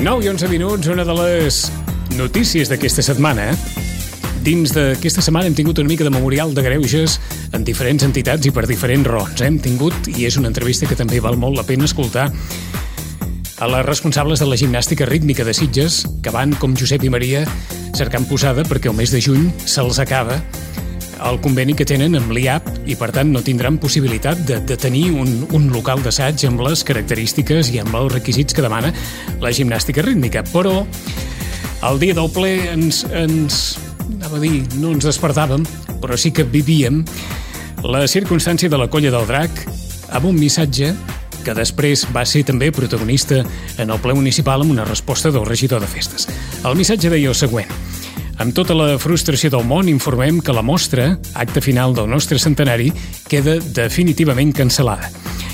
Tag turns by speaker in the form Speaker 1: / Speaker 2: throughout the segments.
Speaker 1: 9 i 11 minuts, una de les notícies d'aquesta setmana. Dins d'aquesta setmana hem tingut una mica de memorial de greuges en diferents entitats i per diferents raons. Hem tingut, i és una entrevista que també val molt la pena escoltar, a les responsables de la gimnàstica rítmica de Sitges, que van, com Josep i Maria, cercant posada perquè el mes de juny se'ls acaba el conveni que tenen amb l'IAP i, per tant, no tindran possibilitat de tenir un local d'assaig amb les característiques i amb els requisits que demana la gimnàstica rítmica. Però el dia del ple anava a dir, no ens despertàvem, però sí que vivíem la circumstància de la Colla del Drac amb un missatge que després va ser també protagonista en el ple municipal amb una resposta del regidor de festes. El missatge deia el següent: amb tota la frustració del món informem que la mostra, acte final del nostre centenari, queda definitivament cancel·lada.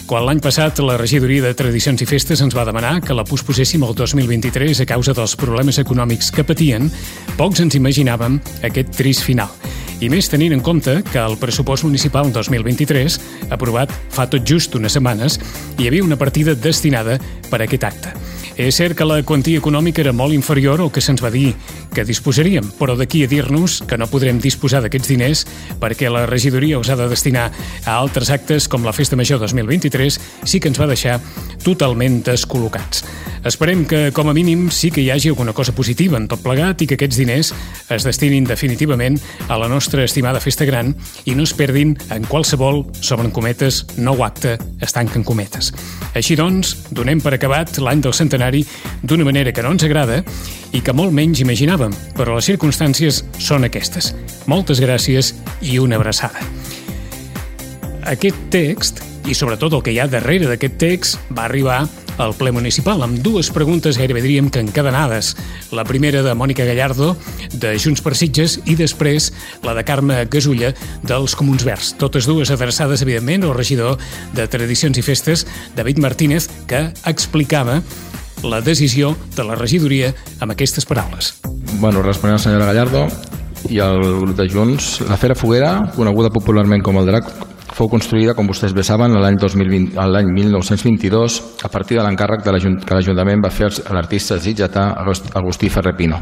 Speaker 1: Quan l'any passat la regidoria de Tradicions i Festes ens va demanar que la posposéssim al 2023 a causa dels problemes econòmics que patien, pocs ens imaginàvem aquest trist final. I més tenint en compte que el pressupost municipal 2023, aprovat fa tot just unes setmanes, hi havia una partida destinada per a aquest acte. És cert que la quantia econòmica era molt inferior al que se'ns va dir que disposaríem, però d'aquí a dir-nos que no podrem disposar d'aquests diners perquè la regidoria els ha de destinar a altres actes com la Festa Major 2023 sí que ens va deixar totalment descol·locats. Esperem que, com a mínim, sí que hi hagi alguna cosa positiva en tot plegat i que aquests diners es destinin definitivament a la nostra estimada Festa Gran i no es perdin en qualsevol, s'obren cometes, nou acte, es tanquen cometes. Així doncs, donem per acabat l'any del centenari d'una manera que no ens agrada i que molt menys imaginàvem, però les circumstàncies són aquestes. Moltes gràcies i una abraçada. Aquest text, i sobretot el que hi ha darrere d'aquest text, va arribar al ple municipal amb dues preguntes gairebé diríem que encadenades. La primera de Mònica Gallardo, de Junts per Sitges, i després la de Carme Gasulla, dels Comuns Verds. Totes dues adreçades, evidentment, al regidor de Tradicions i Festes, David Martínez, que explicava la decisió de la regidoria amb aquestes paraules.
Speaker 2: Bueno, responent a la senyora Gallardo i al grup de Junts, la Fera Foguera, coneguda popularment com el Drac, fou construïda, com vostès bé saben, l'any 1922 a partir de l'encàrrec que l'Ajuntament va fer a l'artista sitgetà Agustí Ferrer Pino.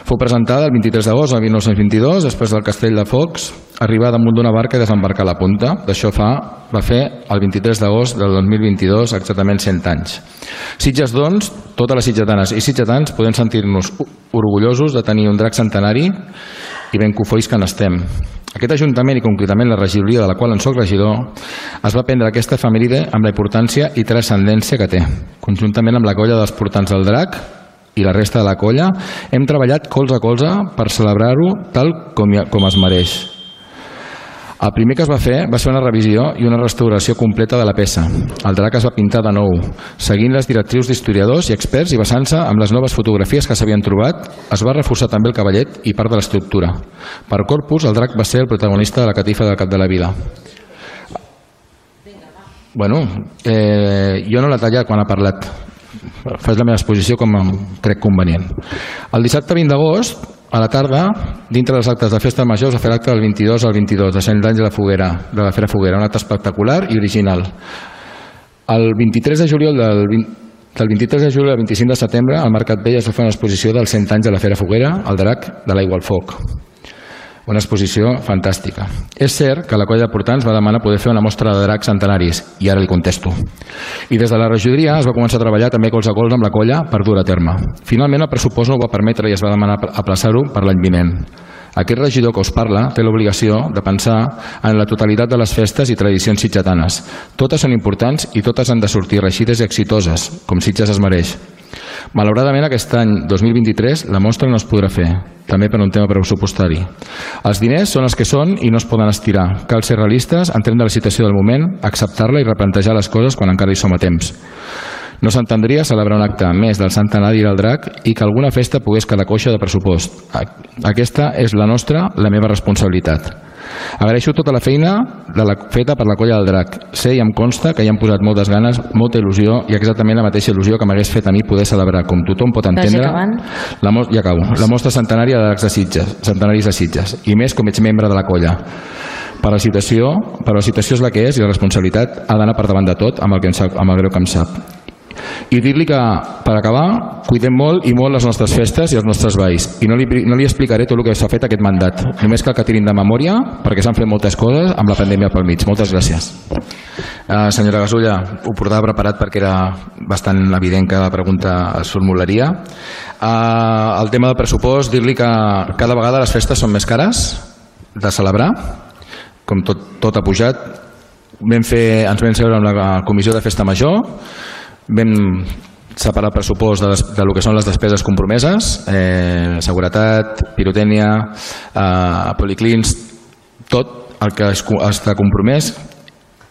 Speaker 2: Fou presentada el 23 d'agost de 1922, després del Castell de Focs, arribar damunt d'una barca i desembarcar a la punta. D'això va fer el 23 d'agost del 2022, exactament 100 anys. Sitges, doncs, totes les sitgetanes i sitgetans podem sentir-nos orgullosos de tenir un drac centenari i ben cofois que n'estem. Aquest Ajuntament i concretament la regidoria de la qual en soc regidor es va prendre aquesta efemèride amb la importància i transcendència que té. Conjuntament amb la colla dels portants del Drac i la resta de la colla hem treballat colze a colze per celebrar-ho tal com es mereix. El primer que es va fer va ser una revisió i una restauració completa de la peça. El drac es va pintar de nou, seguint les directrius d'historiadors i experts i basant-se en les noves fotografies que s'havien trobat. Es va reforçar també el cavallet i part de l'estructura. Per corpus, el drac va ser el protagonista de la catifa del cap de la vila. Bueno, jo no l'he tallat quan ha parlat. Faig la meva exposició com crec convenient. El dissabte 20 d'agost, a la tarda, dintre dels actes de Festa Major, es va fer l'acte del 22 al 22, de 100 anys de la Fera Foguera, un acte espectacular i original. El 23 de juliol del 23 de juliol al 25 de setembre, al Mercat Vell es va fer una exposició dels 100 anys de la Fera Foguera, el Drac de l'Aigua al Foc. Una exposició fantàstica. És cert que la colla de portants va demanar poder fer una mostra de dracs centenaris, i ara li contesto. I des de la regidoria es va començar a treballar també colze a colze amb la colla per dur a terme. Finalment el pressupost no ho va permetre i es va demanar aplaçar-ho per l'any vinent. Aquest regidor que us parla té l'obligació de pensar en la totalitat de les festes i tradicions sitgetanes. Totes són importants i totes han de sortir reixides i exitoses, com Sitges es mereix. Malauradament, aquest any 2023 la mostra no es podrà fer, també per un tema pressupostari. Els diners són els que són i no es poden estirar. Cal ser realistes, entrem de la situació del moment, acceptar-la i replantejar les coses quan encara hi som a temps. No s'entendria celebrar un acte més del centenari del Drac i que alguna festa pogués quedar coixa de pressupost. Aquesta és la meva responsabilitat. Agraeixo tota la feina feta per la colla del Drac. Sé i em consta que hi han posat moltes ganes, molta il·lusió i exactament la mateixa il·lusió que m'hagués fet a mi poder celebrar, com tothom pot entendre, la mostra centenària de dracs de Sitges, centenaris de Sitges, i més com ets membre de la colla. Però la situació és la que és i la responsabilitat ha d'anar per davant de tot amb el greu que em sap. I dir-li que, per acabar, cuidem molt i molt les nostres festes i els nostres balls. I no li explicaré tot el que s'ha fet aquest mandat. Només cal que tirin de memòria, perquè s'han fet moltes coses amb la pandèmia pel mig. Moltes gràcies. Senyora Gasulla, ho portava preparat perquè era bastant evident que la pregunta es formularia. El tema del pressupost, dir-li que cada vegada les festes són més cares de celebrar, com tot ha pujat. Ens vam seure amb la comissió de festa major, vam separar el pressupost de lo que són les despeses compromeses, seguretat, pirotècnia, policlins, tot el que està compromès,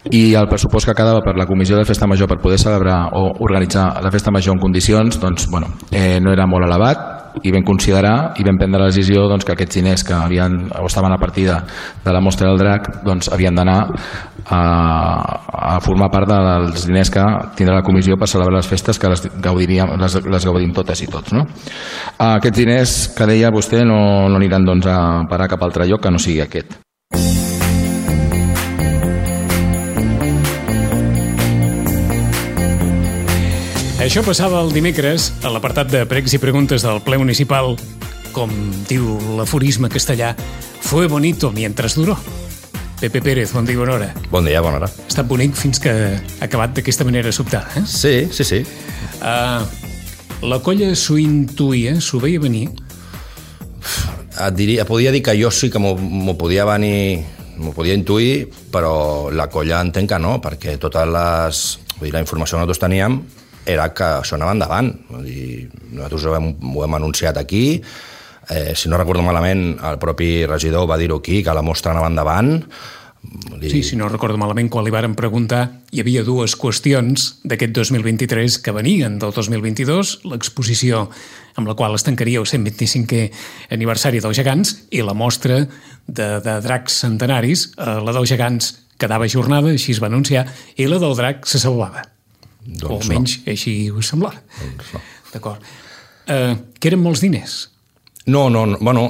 Speaker 2: i el pressupost que quedava per la comissió de festa major per poder celebrar o organitzar la festa major en condicions, doncs, no era molt elevat, i vam considerar i vam prendre la decisió que aquests diners que estaven a partir de la mostra del drac havien d'anar a formar part dels diners que tindrà la comissió per celebrar les festes, que les gaudim totes i tots, no? Aquests diners que deia vostè no aniran a parar cap altre lloc que no sigui aquest.
Speaker 1: Això passava el dimecres a l'apartat de pregs i preguntes del ple municipal. Com diu l'aforisme castellà, fue bonito mientras duró. Pepe Pérez, bon dia, bona hora.
Speaker 3: Bon dia, bona hora.
Speaker 1: Ha estat bonic fins que ha acabat d'aquesta manera sobtada, eh?
Speaker 3: Sí.
Speaker 1: La colla s'ho intuïa, s'ho veia venir?
Speaker 3: Podia dir que jo sí que m'ho podia venir, m'ho podia intuir, però la colla entenc que no, perquè la informació que nosaltres teníem era que això anava endavant. Nosaltres ho hem anunciat aquí, si no recordo malament, el propi regidor va dir-ho aquí, que la mostra anava endavant.
Speaker 1: Sí, si no recordo malament, quan li varen preguntar, hi havia dues qüestions d'aquest 2023 que venien del 2022, l'exposició amb la qual es tancaria el 125è aniversari dels gegants i la mostra de dracs centenaris, la dels gegants quedava ajornada, així es va anunciar, i la del drac se salvava. O almenys així us semblava. D'acord. Que eren molts diners?
Speaker 3: No. Bueno,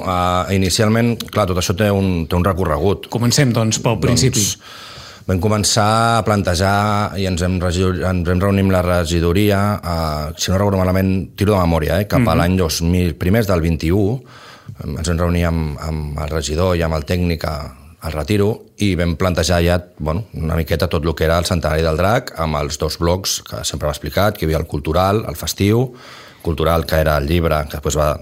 Speaker 3: inicialment, clar, tot això té un recorregut.
Speaker 1: Comencem, doncs, pel principi.
Speaker 3: Vam començar a plantejar i ens vam reunir amb la regidoria, si no recordo malament, tiro de memòria, cap a l'any 2000, primers del 21, ens vam reunir amb el regidor i amb el tècnic al Retiro i vam plantejar ja una miqueta tot el que era el centenari del drac amb els dos blocs que sempre hem explicat, que hi havia el cultural, el festiu, cultural que era el llibre, que després va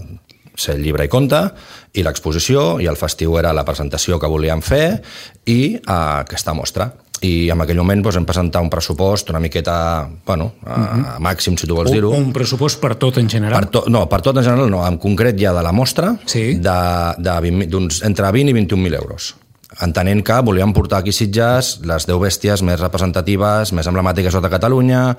Speaker 3: ser el llibre i conte, i l'exposició, i el festiu era la presentació que volíem fer i aquesta mostra. I en aquell moment vam presentar un pressupost una miqueta, a màxim, si tu vols dir-ho.
Speaker 1: Un pressupost per tot en general?
Speaker 3: Per tot en general no, en concret ja de la mostra, entre 20 i 21.000 euros. Entenent que volíem portar aquí a Sitges les 10 bèsties més representatives, més emblemàtiques de Catalunya.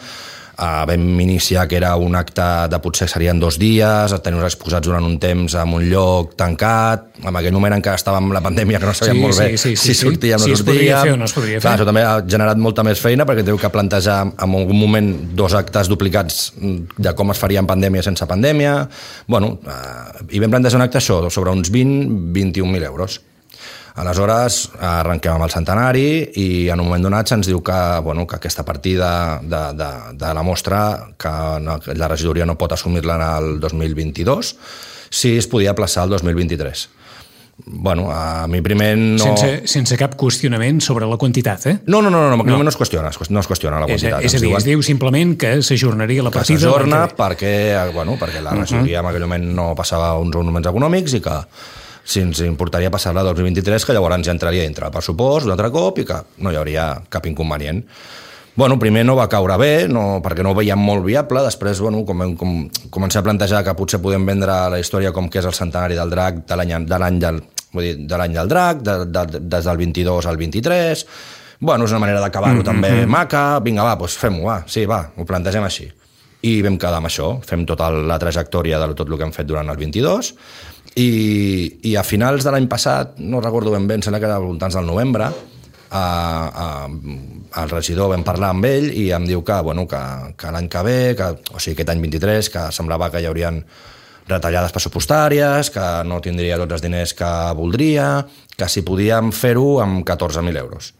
Speaker 3: Vam iniciar que era un acte de potser serien 2 dies, tenir-nos exposats durant un temps en un lloc tancat. En aquell moment encara estàvem amb la pandèmia, que no sabíem molt bé si sortíem o no sortíem.
Speaker 1: Si es podria fer o no es podria fer.
Speaker 3: Clar, això també ha generat molta més feina, perquè teniu que plantejar en algun moment 2 actes duplicats de com es faria en pandèmia sense pandèmia. I vam plantejar un acte això, sobre uns 20-21.000 euros. Aleshores, arrenquem amb el centenari i en un moment donat se'ns diu que aquesta partida de la mostra, que la regidoria no pot assumir-la en el 2022, si es podia aplaçar al 2023. A mi primer no...
Speaker 1: Sense cap qüestionament sobre la quantitat, eh?
Speaker 3: No es qüestiona la quantitat.
Speaker 1: És a dir, es diu simplement que s'ajornaria la partida...
Speaker 3: Que s'ajorna perquè la regidoria en aquell moment no passava uns moments econòmics i que si ens importaria passar-la al 2023, que llavors ja entraria dintre el pressupost un altre cop i que no hi hauria cap inconvenient. Primer no va caure bé, perquè no ho veiem molt viable. Després, com començar a plantejar que potser podem vendre la història com que és el centenari del drac de l'any del drac, des del 22 al 23. És una manera d'acabar-ho també maca. Vinga, doncs fem-ho, ho plantegem així. I vam quedar amb això, fem tota la trajectòria de tot el que hem fet durant el 22. I a finals de l'any passat, no recordo ben bé, em sembla que era voltants del novembre, el regidor vam parlar amb ell i em diu que l'any que ve, o sigui aquest any 23, que semblava que hi haurien retallades pressupostàries, que no tindria tots els diners que voldria, que si podíem fer-ho amb 14.000 euros.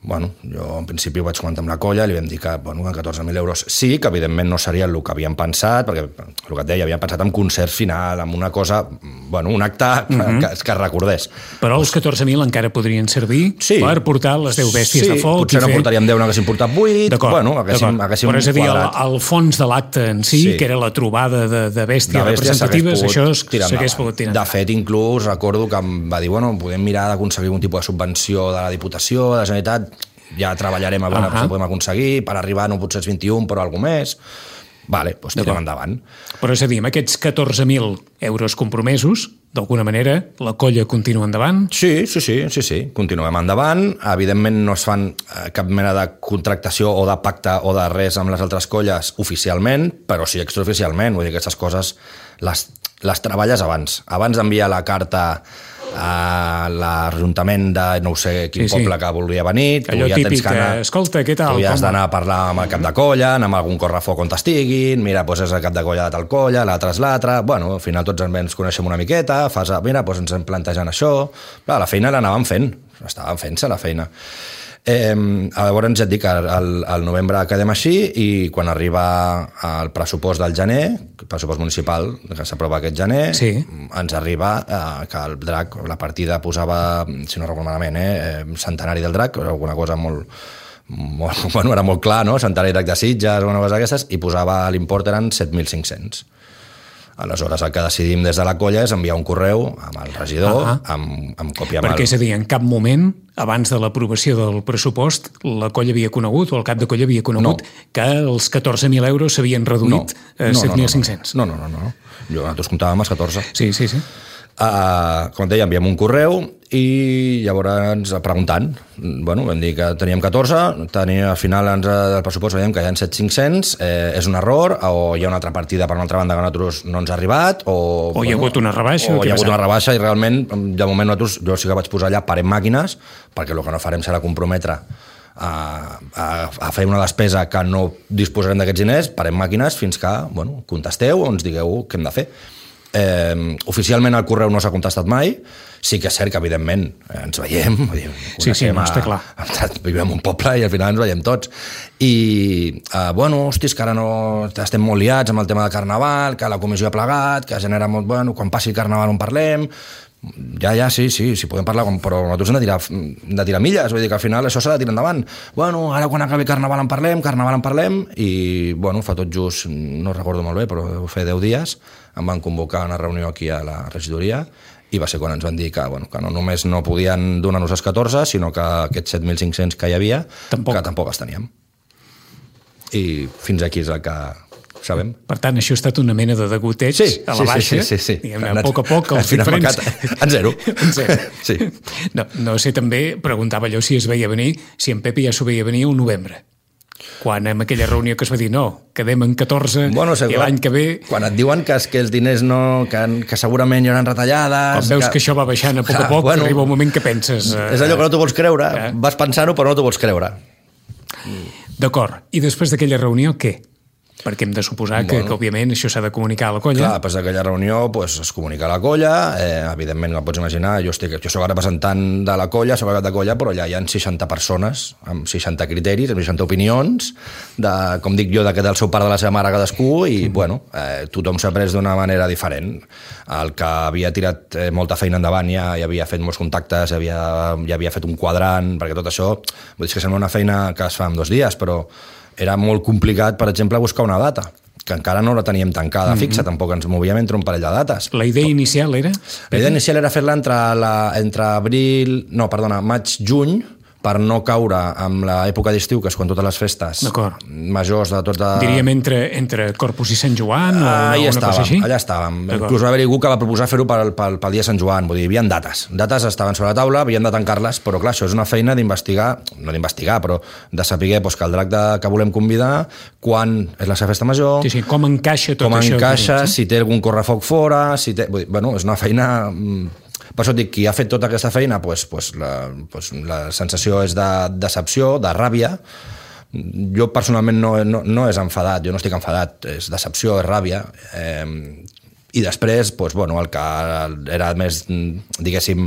Speaker 3: Bueno, jo en principi ho vaig comentar amb la colla i li vam dir que, bueno, 14.000 euros sí, que evidentment no seria el que havíem pensat, perquè el que et deia, havíem pensat en concert final, en una cosa, bueno, un acte que es recordés.
Speaker 1: Però els 14.000 encara podrien servir per portar les 10 bèsties de foc.
Speaker 3: Potser no portaríem 10, n'haguéssim portat 8, bueno, haguéssim
Speaker 1: però és a dir, el fons de l'acte en si, que era la trobada de bèsties representatives, això s'hagués pogut tirar.
Speaker 3: De fet, inclús recordo que em va dir, bueno, podem mirar d'aconseguir un tipus de subvenció de la Diputació, de la Generalitat, ja treballarem a veure si podem aconseguir per arribar, no potser els 21, però alguna més. Vale, doncs tirem endavant.
Speaker 1: Però és a dir, amb aquests 14.000 euros compromesos, d'alguna manera, la colla continua endavant?
Speaker 3: Sí, continuem endavant. Evidentment no es fan cap mena de contractació o de pacte o de res amb les altres colles oficialment, però sí extraoficialment. Vull dir que aquestes coses les treballes abans. Abans d'enviar la carta a l'Ajuntament de no sé quin poble que volia venir,
Speaker 1: allò típic, escolta, què tal?
Speaker 3: Tu ja has d'anar a parlar amb el cap de colla, anar amb algun correfoc on t'estiguin, mira, doncs és el cap de colla de tal colla, l'altre és l'altre, bueno, al final tots ens coneixem una miqueta, mira, doncs ens hem plantejant això, clar, la feina l'anàvem fent, estàvem fent-se la feina. Llavors ja et dic, al novembre quedem així i quan arriba el pressupost del gener, el pressupost municipal que s'aprova aquest gener, ens arriba que el drac, la partida posava, si no recordo malament, centenari del drac, alguna cosa molt, bueno, era molt clar, no? Centenari drac de Sitges, alguna cosa d'aquestes, i posava l'import eren 7.500. Aleshores, el que decidim des de la colla és enviar un correu amb el regidor, amb còpia...
Speaker 1: Perquè, és a dir, en cap moment, abans de l'aprovació del pressupost, la colla havia conegut, o el cap de colla havia conegut, que els 14.000 euros s'havien reduït a 7.500.
Speaker 3: No. Nosaltres comptàvem els 14.
Speaker 1: Sí.
Speaker 3: Com et deia, enviem un correu i llavors preguntant, bueno, vam dir que teníem 14, al final del pressupost veiem que hi ha 7.500, és un error, o hi ha una altra partida per una altra banda que a nosaltres no ens ha arribat, o
Speaker 1: hi ha hagut una rebaixa.
Speaker 3: O hi ha hagut una rebaixa i realment, de moment nosaltres, jo sí que vaig posar allà parem màquines, perquè el que no farem serà comprometre a fer una despesa que no disposarem d'aquests diners, parem màquines fins que, bueno, contesteu o ens digueu què hem de fer. Oficialment el correu no s'ha contestat mai, sí que és cert que evidentment ens veiem,
Speaker 1: sí, no està clar,
Speaker 3: vivim en un poble i al final ens veiem tots i bueno, hòstia, que ara no estem molt liats amb el tema de Carnaval, que la comissió ha plegat, que genera molt, bueno, quan passi el Carnaval on parlem, ja, sí, podem parlar, però nosaltres hem de tirar milles, vull dir que al final això s'ha de tirar endavant. Bueno, ara quan acabi Carnaval en parlem, i bueno, fa tot just, no recordo molt bé, però deu fer 10 dies, em van convocar a una reunió aquí a la regidoria i va ser quan ens van dir que no només no podien donar-nos els 14, sinó que aquests 7.500 que hi havia, que tampoc els teníem. I fins aquí és el que sabem.
Speaker 1: Per tant, això ha estat una mena de degoteig a la baixa.
Speaker 3: Sí.
Speaker 1: A poc a poc, els diferents...
Speaker 3: En zero. Sí.
Speaker 1: No sé, també preguntava allò si es veia venir, si en Pepe ja s'ho veia venir un novembre. Quan en aquella reunió que es va dir no, quedem en 14 i l'any que ve...
Speaker 3: Quan et diuen que els diners no, que segurament hi haurà retallades...
Speaker 1: Quan veus que això va baixant a poc, arriba un moment que penses...
Speaker 3: És allò que no t'ho vols creure, vas pensant-ho però no t'ho vols creure.
Speaker 1: D'acord, i després d'aquella reunió què? Perquè hem de suposar que òbviament això s'ha de comunicar a la colla.
Speaker 3: Clar, després d'aquella reunió es comunica a la colla, evidentment no pots imaginar, jo soc representant de la colla, soc cap de colla, però allà hi ha 60 persones, amb 60 criteris, amb 60 opinions, com dic jo, del seu pare de la seva mare cadascú, i bueno, tothom s'ha pres d'una manera diferent. El que havia tirat molta feina endavant ja havia fet molts contactes, ja havia fet un quadrant, perquè tot això, vull dir que sembla una feina que es fa en 2 dies, però era molt complicat, per exemple, buscar una data, que encara no la teníem tancada fixa, tampoc ens movíem entre un parell de dates.
Speaker 1: La idea inicial era?
Speaker 3: La idea inicial era fer-la entre maig-juny, per no caure amb l'època d'estiu, que és quan totes les festes majors de tot...
Speaker 1: Diríem entre Corpus i Sant Joan o una cosa així?
Speaker 3: Allà estàvem. Inclús va haver-hi algú que va proposar fer-ho pel dia de Sant Joan, vull dir, hi havia dates. Dates estaven sobre la taula, havíem de tancar-les, però clar, això és una feina d'investigar, no d'investigar, però de saber que el drac que volem convidar, quan és la seva festa major...
Speaker 1: Sí, com encaixa tot això?
Speaker 3: Com encaixa, si té algun correfoc fora, si té... Bueno, és una feina... Per això et dic, qui ha fet tota aquesta feina, la sensació és de decepció, de ràbia. Jo personalment no és enfadat, jo no estic enfadat, és decepció, és ràbia. I després, doncs, bueno, el que era més, diguéssim,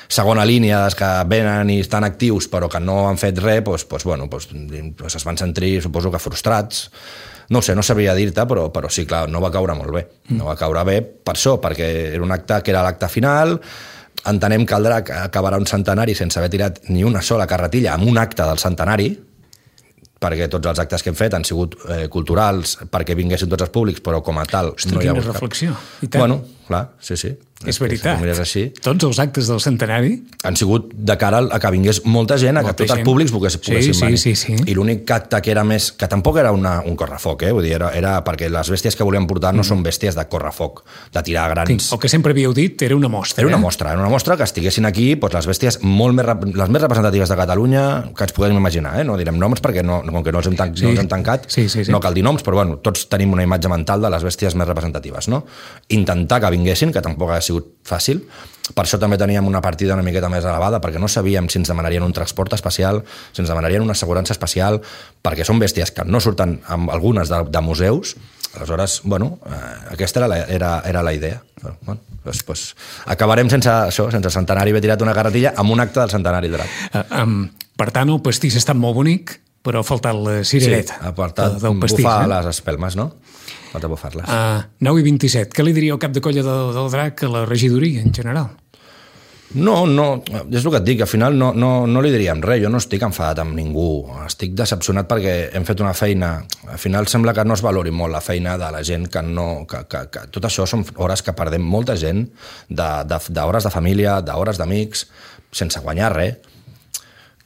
Speaker 3: segona línia dels que venen i estan actius però que no han fet res, es van sentir, suposo que frustrats. No ho sé, no sabria dir-te, però sí, clar, no va caure molt bé. No va caure bé per això, perquè era un acte que era l'acte final. Entenem que el Drac acabarà un centenari sense haver tirat ni una sola carretilla amb un acte del centenari, perquè tots els actes que hem fet han sigut culturals, perquè vinguessin tots els públics, però com a tal...
Speaker 1: Ostres, no hi ha hagut reflexió.
Speaker 3: Bueno, clar, sí.
Speaker 1: És veritat. Tots els actes del centenari
Speaker 3: han sigut de cara a que vingués molta gent, a que tots els públics poguessin venir.
Speaker 1: Sí.
Speaker 3: I l'únic acte que era més... que tampoc era un correfoc, vull dir, era perquè les bèsties que volíem portar no són bèsties de correfoc, de tirar grans...
Speaker 1: El que sempre havíeu dit era una mostra.
Speaker 3: Era una mostra que estiguessin aquí les bèsties les més representatives de Catalunya que ens podem imaginar, no direm noms perquè com que no els hem tancat, no cal dir noms, però bueno, tots tenim una imatge mental de les bèsties més representatives, no? Intentar que vinguessin, que tampoc ha sigut fàcil. Per això també teníem una partida una miqueta més elevada, perquè no sabíem si ens demanarien un transport especial, si ens demanarien una assegurança especial, perquè són bèsties que no surten amb algunes de museus. Aleshores, bueno, aquesta era la idea. Bueno, doncs acabarem sense centenari haver tirat una carretilla amb un acte del centenari del Drac.
Speaker 1: Per tant, el pastís ha estat molt bonic, però ha faltat la cirereta del pastís.
Speaker 3: Bufar les espelmes, no? Falta bufar-les.
Speaker 1: 9 i 27. Què li diria al cap de colla del Drac a la regidoria, en general?
Speaker 3: No, és el que et dic, al final no li diríem res, jo no estic enfadat amb ningú, estic decepcionat perquè hem fet una feina, al final sembla que no es valori molt la feina de la gent que tot això són hores que perdem molta gent, d'hores de família, d'hores d'amics, sense guanyar res,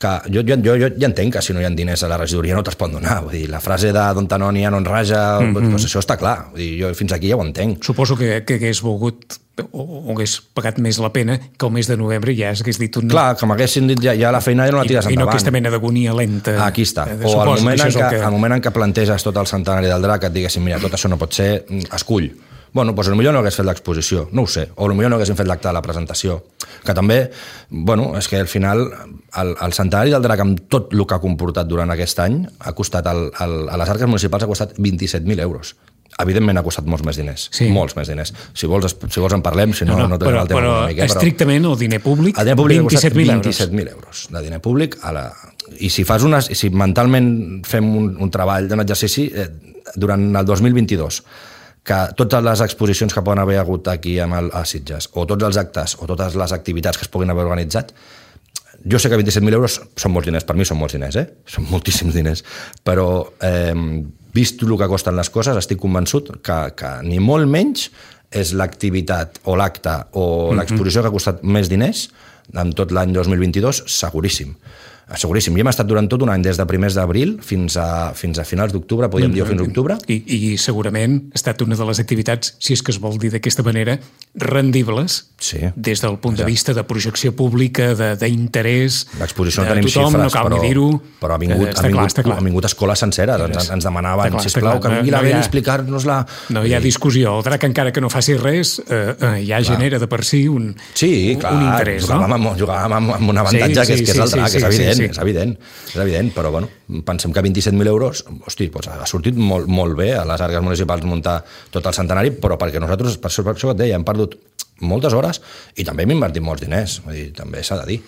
Speaker 3: que jo ja entenc que si no hi ha diners a la regidoria no te'ls pot donar, vull dir, la frase de Don Tanònia no en raja, doncs això està clar, vull dir, jo fins aquí ja ho entenc.
Speaker 1: Suposo que hagués volgut o hagués pagat més la pena que el mes de novembre ja hagués dit un...
Speaker 3: Clar, que m'haguessin dit ja la feina ja no la tires endavant.
Speaker 1: I no aquesta mena d'agonia lenta.
Speaker 3: Aquí està. O al moment en què planteges tot el centenari del Drac et diguessin, mira, tot això no pot ser, escull. Bueno, doncs potser no hagués fet l'exposició, no ho sé, o potser no haguéssim fet l'acte de la presentació, que també, bueno, és que al final el centenari del Drac amb tot el que ha comportat durant aquest any ha costat, a les arques municipals ha costat 27.000 euros. Evidentment ha costat molts més diners, molts més diners. Si vols en parlem, si no tenim el tema una mica.
Speaker 1: Però estrictament el diner públic,
Speaker 3: 27.000 euros de diner públic. I si mentalment fem un treball d'un exercici durant el 2022, que totes les exposicions que poden haver hagut aquí a Sitges, o tots els actes, o totes les activitats que es puguin haver organitzat, jo sé que 27.000 euros són molts diners, per mi són molts diners, són moltíssims diners, però vist el que costen les coses, estic convençut que ni molt menys és l'activitat o l'acte o l'exposició que ha costat més diners en tot l'any 2022, seguríssim. Seguríssim. Ja hem estat durant tot un any, des de primers d'abril fins a finals d'octubre, podríem dir fins a octubre.
Speaker 1: I segurament ha estat una de les activitats, si és que es vol dir d'aquesta manera, rendibles, des del punt de vista de projecció pública, d'interès,
Speaker 3: l'exposició no tenim xifres, però ha vingut escoles senceres, ens demanaven, sisplau, que vingui la Beli a explicar-nos-la.
Speaker 1: No hi ha discussió, el Drac encara que no faci res, ja genera de per si un interès.
Speaker 3: Jugàvem amb un avantatge que és el Drac, és evident. És evident, però bueno, pensem que 27.000 euros, hosti, ha sortit molt bé a les arques municipals muntar tot el centenari, però perquè nosaltres, per això et deia, hem perdut moltes hores i també hem invertit molts diners, vull dir, també s'ha de dir.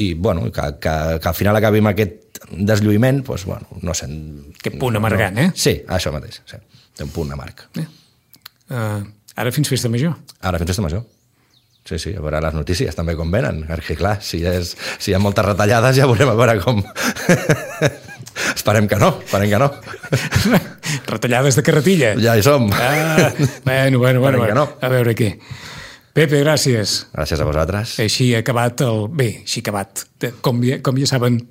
Speaker 3: I bueno, que al final acabi amb aquest deslluïment, doncs bueno, no sé...
Speaker 1: Aquest punt amargant,
Speaker 3: Sí, això mateix, té un punt amarg.
Speaker 1: Ara fins festa major.
Speaker 3: Ara fins festa major. Sí, a veure les notícies també com venen, perquè clar, si hi ha moltes retallades ja veurem a veure com... Esperem que no.
Speaker 1: Retallades de carretilla.
Speaker 3: Ja hi som.
Speaker 1: Bueno. A veure què. Pepe, gràcies.
Speaker 3: Gràcies a vosaltres.
Speaker 1: Així ha acabat Com ja saben,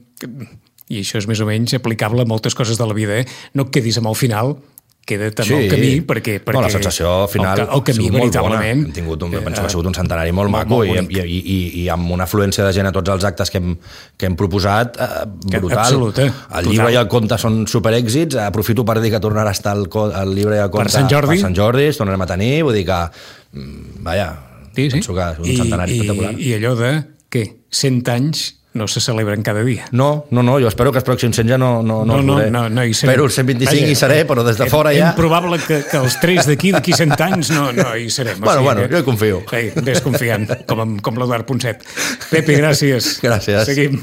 Speaker 1: i això és més o menys aplicable a moltes coses de la vida, no et quedis amb el final, queda també el camí, perquè
Speaker 3: la sensació final
Speaker 1: el camí veritablement
Speaker 3: penso que ha sigut un centenari molt maco i amb una afluència de gent a tots els actes que hem proposat brutal. El llibre i el conte són superèxits, aprofito per dir que tornarà a estar el llibre i el conte per Sant Jordi, es tornarem a tenir, vull dir que penso que és un centenari espectacular.
Speaker 1: I allò de 100 anys no se celebren cada dia.
Speaker 3: No, jo espero que els pròxims 100 ja no
Speaker 1: hi serem.
Speaker 3: Espero els 125 hi seré, però des de fora ja...
Speaker 1: És probable que els 3 d'aquí 100 anys no hi serem.
Speaker 3: Bueno, jo hi confio.
Speaker 1: Ves confiant, com l'Eduard Ponset. Pepe, gràcies.
Speaker 3: Gràcies.
Speaker 1: Seguim.